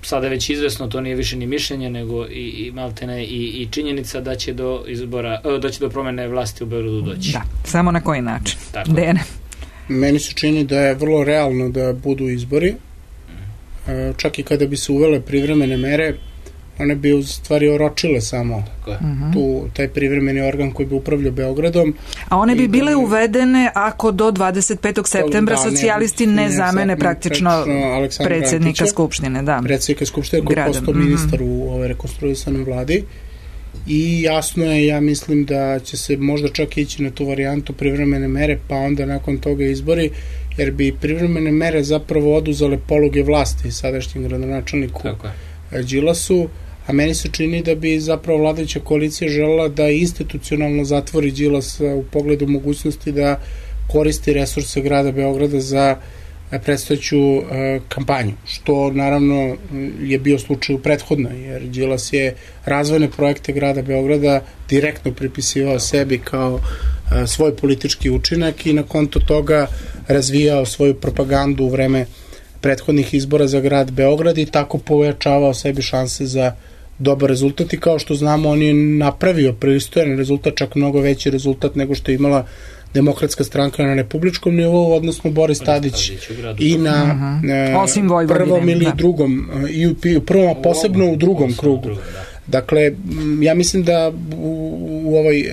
sada je već izvesno, to nije više ni mišljenje, nego i maltene i činjenica da će do promene vlasti u Beogradu doći. Da, samo na koji način? Dene? Meni se čini da je vrlo realno da budu izbori. Čak i kada bi se uvele privremene mere, one bi u stvari oročile samo taj privremeni organ koji bi upravljao Beogradom. A one bi bile uvedene ako do 25. septembra socijalisti ne zamene praktično predsjednika Skupštine. Predsjednika Skupštine koji je postao ministar u ovoj rekonstruisanoj vladi. I jasno je, ja mislim da će se možda čak ići na tu varijantu privremene mere, pa onda nakon toga izbori, jer bi privremene mere zapravo oduzele poluge vlasti sadašnjem gradonačelniku Đilasu, a meni se čini da bi zapravo vladajuća koalicija želela da institucionalno zatvori Đilasa u pogledu mogućnosti da koristi resurse grada Beograda za predstojeću kampanju, što naravno je bio slučaj u prethodno, jer Đilas je razvojne projekte grada Beograda direktno pripisivao sebi kao svoj politički učinak i na konto toga razvijao svoju propagandu u vreme prethodnih izbora za grad Beograd i tako povećavao sebi šanse za dobar rezultat i kao što znamo on je napravio pristojan rezultat, čak mnogo veći rezultat nego što je imala Demokratska stranka na republičkom nivou, odnosno Boris Tadić i na prvom ili drugom, i u prvom, a posebno u drugom krugu. Dakle, ja mislim da u ovoj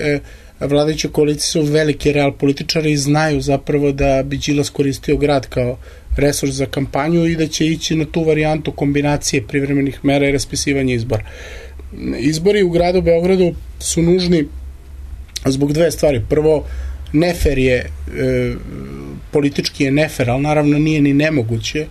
vladajućoj koaliciji su veliki real političari i znaju zapravo da bi Đilas koristio grad kao resurs za kampanju i da će ići na tu varijantu kombinacije privremenih mera i raspisivanja izbora. Izbori u gradu Beogradu su nužni zbog dve stvari. Prvo, nefer je, politički je nefer, ali naravno nije ni nemoguće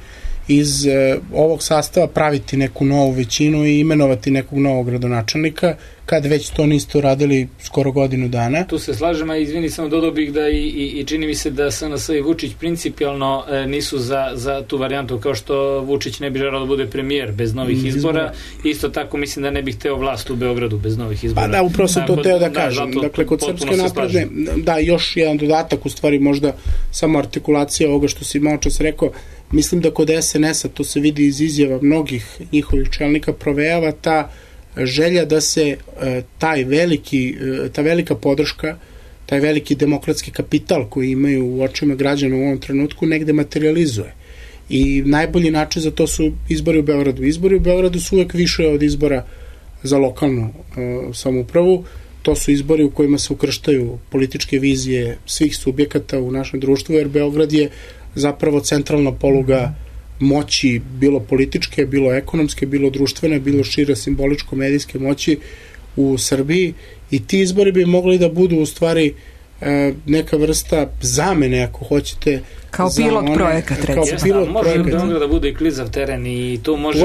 iz ovog sastava praviti neku novu većinu i imenovati nekog novog gradonačelnika, kad već to niste uradili skoro godinu dana. Tu se slažem, a izvini, samo dodao bih da i čini mi se da SNS i Vučić principijalno nisu za tu varijantu, kao što Vučić ne bi želeo da bude premijer bez novih izbora. Isto tako mislim da ne bih hteo vlast u Beogradu bez novih izbora. Pa da, upravo sam to teo da kažem. Dakle, kod Srpske napredne, da, još jedan dodatak, u stvari možda samo artikulacija ovoga što si malo čas rekao, mislim da kod SNS-a, to se vidi iz izjava mnogih njihovih čelnika, provejava ta želja da se ta velika podrška, taj veliki demokratski kapital koji imaju u očima građana u ovom trenutku negde materializuje. I najbolji način za to su izbori u Beogradu. Izbori u Beogradu su uvek više od izbora za lokalnu samoupravu. To su izbori u kojima se ukrštaju političke vizije svih subjekata u našem društvu, jer Beograd je zapravo centralna poluga moći, bilo političke, bilo ekonomske, bilo društvene, bilo šire simboličko-medijske moći u Srbiji, i ti izbori bi mogli da budu u stvari neka vrsta zamene, ako hoćete, kao pilot projekat, recimo. Može da bude i klizav teren i tu može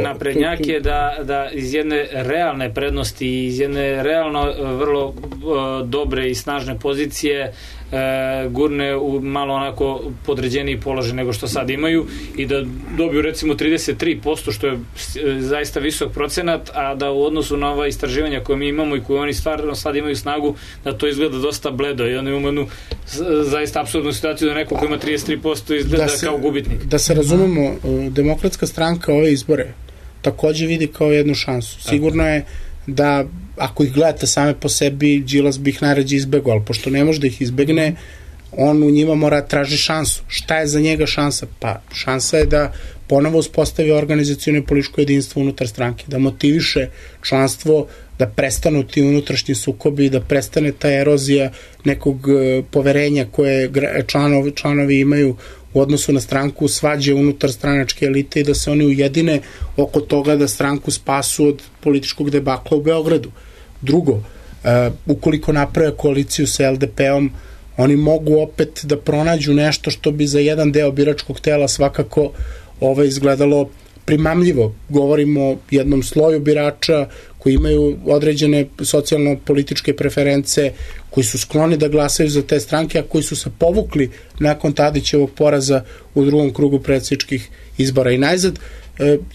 naprednjake da iz jedne realne prednosti, iz jedne realno vrlo dobre i snažne pozicije gurne u malo onako podređeniji položaj nego što sad imaju i da dobiju recimo 33%, što je zaista visok procenat, a da u odnosu na ova istraživanja koje mi imamo i koje oni stvarno sad imaju snagu, da to izgleda dosta bledo i onda imamo jednu zaista apsurdnu situaciju da neko ko ima 33% izgleda kao gubitnik. Da se razumemo, Demokratska stranka ove izbore takođe vidi kao jednu šansu. Sigurno je da ako ih gledate same po sebi, Đilas bi ih najrađe izbegao, ali pošto ne može da ih izbegne, on u njima mora traži šansu. Šta je za njega šansa? Pa šansa je da ponovo uspostavi organizacijono i političko jedinstvo unutar stranke, da motiviše članstvo, da prestanu ti unutrašnji sukobi, da prestane ta erozija nekog poverenja koje članovi imaju u odnosu na stranku, svađe unutar stranačke elite i da se oni ujedine oko toga da stranku spasu od političkog debakla u Beogradu. Drugo, ukoliko naprave koaliciju sa LDP-om, oni mogu opet da pronađu nešto što bi za jedan deo biračkog tela svakako izgledalo primamljivo. Govorimo o jednom sloju birača koji imaju određene socijalno-političke preference, koji su skloni da glasaju za te stranke, a koji su se povukli nakon Tadićevog poraza u drugom krugu predsjedničkih izbora. I najzad,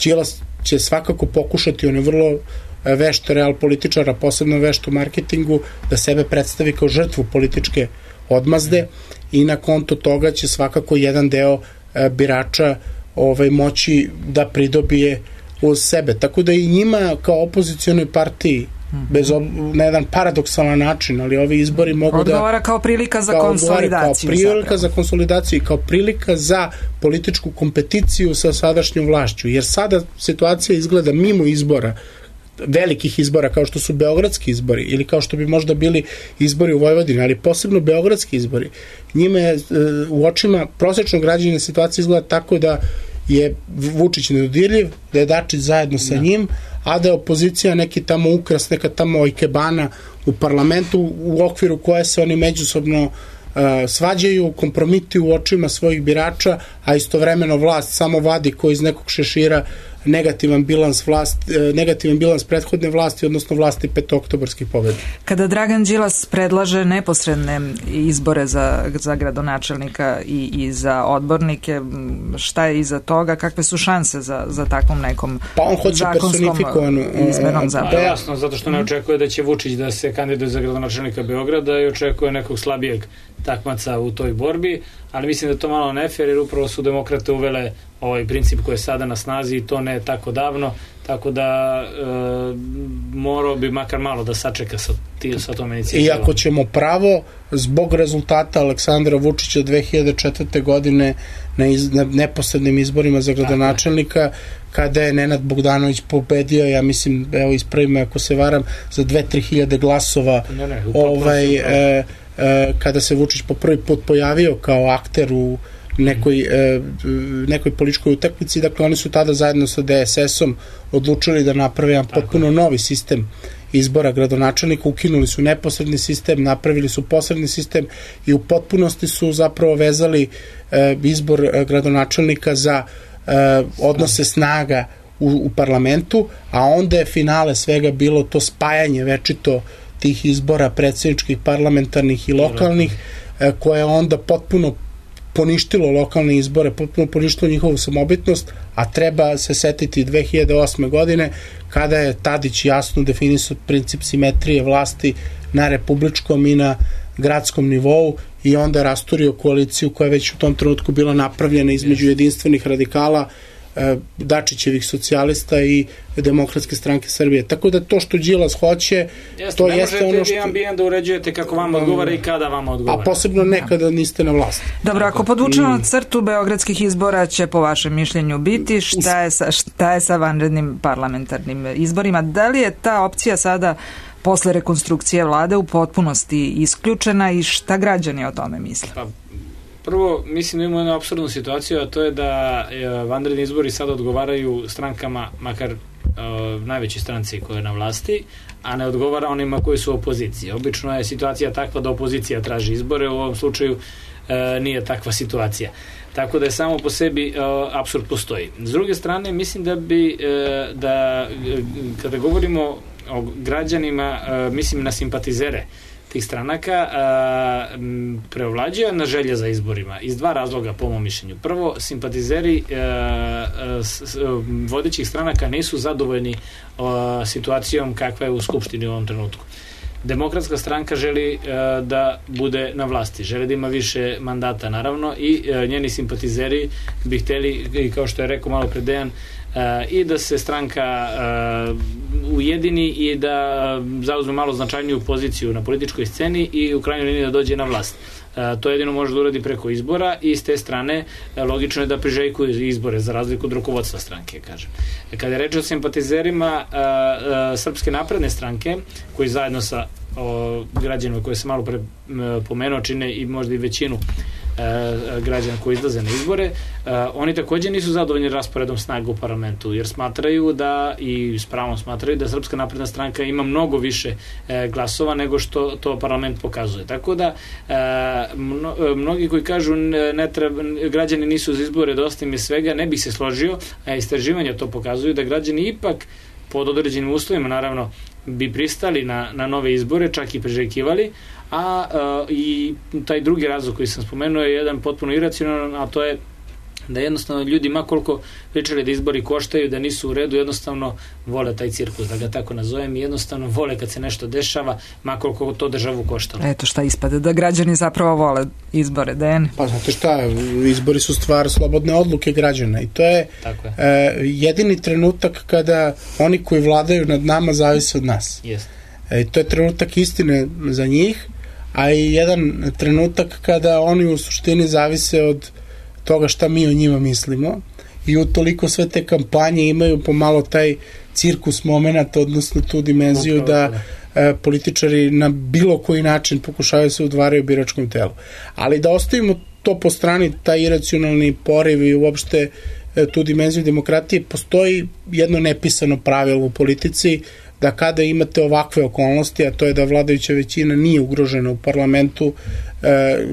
Đilas će svakako pokušati, on je vrlo vešt real političara, posebno vešt u marketingu, da sebe predstavi kao žrtvu političke odmazde i na konto toga će svakako jedan deo birača moći da pridobije uz sebe. Tako da i njima kao opozicijonoj partiji na jedan paradoksalan način, ali ovi izbori mogu odgovara kao prilika za konsolidaciju. Kao prilika za konsolidaciju i kao prilika za političku kompeticiju sa sadašnjom vlašću. Jer sada situacija izgleda mimo izbora, velikih izbora kao što su beogradski izbori ili kao što bi možda bili izbori u Vojvodini, ali posebno beogradski izbori. Njima je u očima prosječnog građanina situacija izgleda tako da je Vučić nedodirljiv, da je Dačić zajedno sa njim, a da je opozicija neki tamo ukras, neka tamo ikebana u parlamentu u okviru koje se oni međusobno svađaju, kompromituju u očima svojih birača, a istovremeno vlast samo vadi ko iz nekog šešira negativan bilans prethodne vlasti, odnosno vlasti petooktobarskih pobjeda. Kada Dragan Đilas predlaže neposredne izbore za gradonačelnika i za odbornike, šta je iza toga, kakve su šanse za takvom nekom zakonskom izmenom zapravo? Jasno, zato što ne očekuje da će Vučić da se kandiduje za gradonačelnika Beograda i očekuje nekog slabijeg takmaca u toj borbi, ali mislim da je to malo nefer, jer upravo su demokrate uvele ovaj princip koji je sada na snazi i to ne tako davno, tako da morao bi makar malo da sačeka sa tom inicijativom. I ako ćemo pravo, zbog rezultata Aleksandra Vučića 2004. godine na neposrednim izborima za gradonačelnika, kada je Nenad Bogdanović pobedio, ja mislim, evo ispravimo ako se varam, za 2-3 hiljade glasova, kada se Vučić po prvi put pojavio kao akter u nekoj političkoj utakmici, dakle oni su tada zajedno sa DSS-om odlučili da naprave jedan potpuno novi sistem izbora gradonačelnika, ukinuli su neposredni sistem, napravili su posredni sistem i u potpunosti su zapravo vezali izbor gradonačelnika za odnose snaga u parlamentu, a onda je finale svega bilo to spajanje večito tih izbora predsjedničkih, parlamentarnih i lokalnih, koje je onda potpuno poništilo lokalne izbore, potpuno poništilo njihovu samobitnost, a treba se setiti 2008. godine kada je Tadić jasno definisao princip simetrije vlasti na republičkom i na gradskom nivou i onda rasturio koaliciju koja je već u tom trenutku bila napravljena između jedinstvenih radikala, Dačićevih socijalista i Demokratske stranke Srbije. Tako da to što Đilas hoće, to jeste ono što... Ne možete da uređujete kako vam odgovara i kada vam odgovara. A posebno nekada niste na vlasti. Dobro, ako podvučemo crtu beogradskih izbora će po vašem mišljenju biti, šta je sa vanrednim parlamentarnim izborima? Da li je ta opcija sada posle rekonstrukcije vlade u potpunosti isključena i šta građani o tome misle? Prvo, mislim da imamo jednu apsurdnu situaciju, a to je da vanredni izbori sada odgovaraju strankama, makar najveći stranci koje je na vlasti, a ne odgovara onima koji su u opoziciji. Obično je situacija takva da opozicija traži izbore, u ovom slučaju nije takva situacija. Tako da je samo po sebi apsurd postoji. S druge strane, mislim da kada govorimo o građanima, mislim na simpatizere tih stranaka, preovlađuje na želje za izborima iz dva razloga po mom mišljenju. Prvo, simpatizeri vodećih stranaka nisu zadovoljni situacijom kakva je u Skupštini u ovom trenutku. Demokratska stranka želi da bude na vlasti, želi da ima više mandata naravno i njeni simpatizeri bi hteli, kao što je rekao malo pre Dejan, i da se stranka ujedini i da zauzme malo značajniju poziciju na političkoj sceni i u krajnjoj liniji da dođe na vlast. To jedino može da uradi preko izbora i s te strane logično je da priželjkuju izbore za razliku od rukovodstva stranke, kažem. Kada je reč o simpatizerima Srpske napredne stranke, koji zajedno sa građanima koje se malo pre pomenuo čine i možda i većinu građana koji izlaze na izbore. Oni također nisu zadovoljni rasporedom snaga u parlamentu, jer smatraju da, i s pravom smatraju, da Srpska napredna stranka ima mnogo više glasova nego što to parlament pokazuje. Tako da mnogi koji kažu građani nisu za izbore, dosta im je svega, ne bih se složio, a istraživanja to pokazuju da građani ipak pod određenim uslovima, naravno, bi pristali na nove izbore, čak i priželjkivali, i taj drugi razlog koji sam spomenuo je jedan potpuno iracionalan, a to je da jednostavno ljudi, ma koliko pričali da izbori koštaju, da nisu u redu, jednostavno vole taj cirkus, da ga tako nazovem, i jednostavno vole kad se nešto dešava, ma koliko to državu koštalo. Eto šta ispada, da građani zapravo vole izbore, Dejan? Pa znate šta, izbori su stvar slobodne odluke građana i to je jedini trenutak kada oni koji vladaju nad nama zavise od nas. Yes. I to je trenutak istine za njih, a i jedan trenutak kada oni u suštini zavise od toga šta mi o njima mislimo, i utoliko sve te kampanje imaju pomalo taj cirkus momenat, odnosno tu dimenziju da političari na bilo koji način pokušavaju se udvaraju biračkom telu. Ali da ostavimo to po strani, taj iracionalni poriv i uopšte tu dimenziju demokratije, postoji jedno nepisano pravilo u politici, da kada imate ovakve okolnosti, a to je da vladajuća većina nije ugrožena u parlamentu,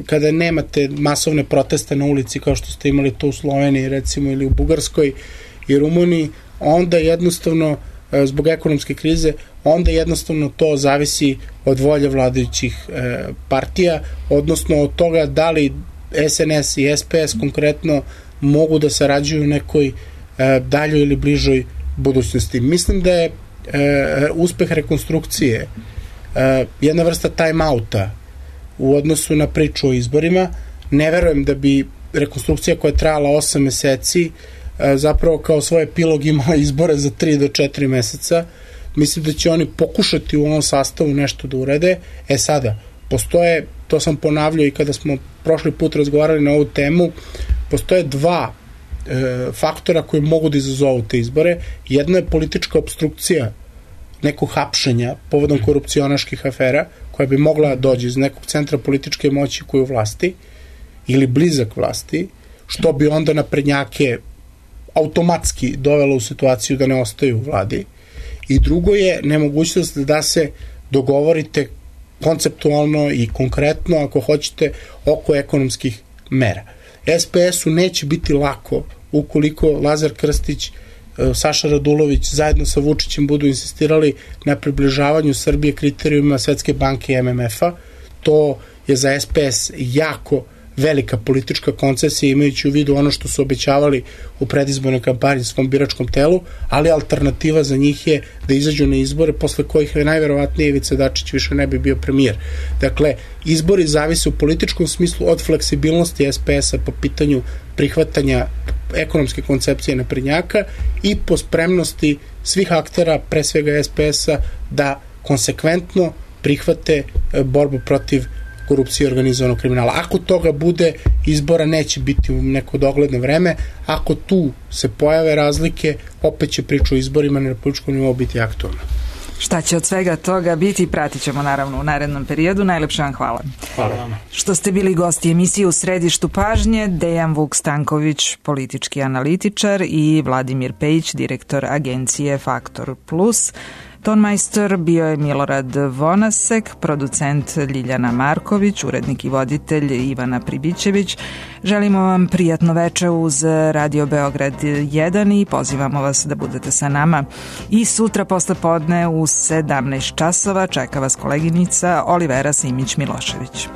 kada nemate masovne proteste na ulici kao što ste imali to u Sloveniji recimo ili u Bugarskoj i Rumuniji, onda jednostavno zbog ekonomske krize, onda jednostavno to zavisi od volje vladajućih partija, odnosno od toga da li SNS i SPS konkretno mogu da sarađuju u nekoj daljoj ili bližoj budućnosti. Mislim da je uspeh rekonstrukcije jedna vrsta time-outa u odnosu na priču o izborima. Ne verujem da bi rekonstrukcija koja je trajala 8 meseci zapravo kao svoj epilog imala izbore za 3 do 4 meseca. Mislim da će oni pokušati u ovom sastavu nešto da urede. Sada, postoje, to sam ponavljao i kada smo prošli put razgovarali na ovu temu, postoje dva faktora koji mogu da izazovu te izbore. Jedno je politička obstrukcija nekog hapšenja povodom korupcionaških afera, koja bi mogla doći iz nekog centra političke moći koji je u vlasti ili blizak vlasti, što bi onda naprednjake automatski dovelo u situaciju da ne ostaju u vladi. I drugo je nemogućnost da se dogovorite konceptualno i konkretno, ako hoćete, oko ekonomskih mera. SPS-u neće biti lako ukoliko Lazar Krstić, Saša Radulović zajedno sa Vučićem budu insistirali na približavanju Srbije kriterijuma Svetske banke i MMF-a. To je za SPS jako velika politička koncesija, imajući u vidu ono što su obećavali u predizbornoj kampanji svom biračkom telu, ali alternativa za njih je da izađu na izbore posle kojih najverovatnije Ivica Dačić više ne bi bio premijer. Dakle, izbori zavise u političkom smislu od fleksibilnosti SPS-a po pitanju prihvatanja ekonomske koncepcije naprednjaka i po spremnosti svih aktera, pre svega SPS-a, da konsekventno prihvate borbu protiv korupcije i organizovanog kriminala. Ako toga bude, izbora neće biti u neko dogledno vreme. Ako tu se pojave razlike, opet će priča o izborima na republičkom nivou biti aktualna. Šta će od svega toga biti, pratit ćemo naravno u narednom periodu. Najlepše vam hvala. Hvala vama. Što ste bili gosti emisije U središtu pažnje, Dejan Vuk Stanković, politički analitičar, i Vladimir Pejić, direktor agencije Faktor Plus. Tonmajstor bio je Milorad Vonasek, producent Ljiljana Marković, urednik i voditelj Ivana Pribićević. Želimo vam prijatno veče uz Radio Beograd 1 i pozivamo vas da budete sa nama. I sutra posle podne u 17 časova čeka vas koleginica Olivera Simić-Milošević.